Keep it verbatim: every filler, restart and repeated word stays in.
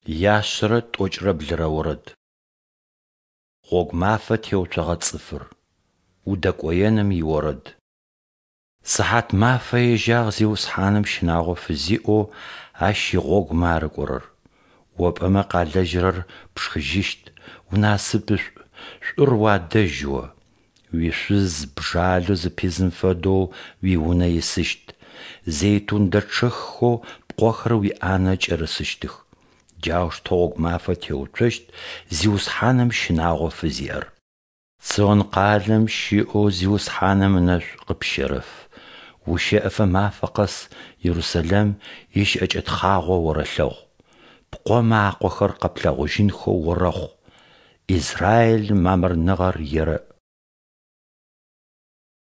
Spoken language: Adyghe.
Яшъэрэ тӏокӏрэ блырэ орэд. Гъогу мафэ теуцогъэ цӏыфыр. Удэкӏоеным иорэд. Сыхьат мафэ ежьагъ Зиусхьаным щынагъо фызиӏэу Ащ игъогумэ арыкӏорэр. О пӏэмэ къалэжьырэр пшхыжьыщт, унасыпышӏу, шӏур уадэжь о. Уишъуз бжалэу зыпизым фэдэу уиунэ исыщт, зейтун дэчъэххэу пкъохэр уиӏанэ кӏэрысыщтых. Джаущтэу гъогу мафэ теуцощт Зиусхьаным щынагъо фызиӏэр. Цион къалэм щыӏэу Зиусхьаным ынэшӏу къыпщерэф, ущэӏэфэ мафэ къэс Ерусэлэм ищыӏэкӏэ тхъагъо орэлъэгъу. Пкъомэ акъохэр къэплъэгъужьынхэу орэхъу. Израилым мамырныгъэр ерэӏ.